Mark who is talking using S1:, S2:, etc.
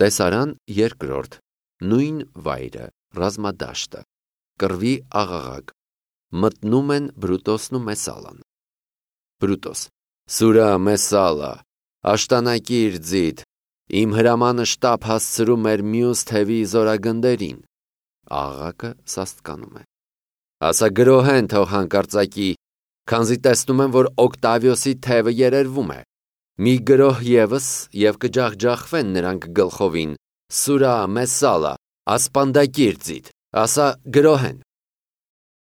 S1: Տեսարան երկրորդ, նույն վայրը, ռազմադաշտը, կռվի աղաղակ, մտնում են Բրուտոսն ու Մեսալան։ Բրուտոս. Սուրա Մեսալա, աշտանակիր ձիթ, իմ հրամանը շտապ հասցրու մեր մյուս թևի զորագնդերին։ Աղաղակը սաստկանում է։ Ասա գրոհեն թող հանկարծակի, քանզի տեսնում եմ, որ Օկտավիոսի թևը երերվում է։ Մի գրոհ ևս և կջախջախվեն նրանք գլխովին, Սուրա Մեսալա, ասպանդակիր ձիթ, ասա գրոհեն։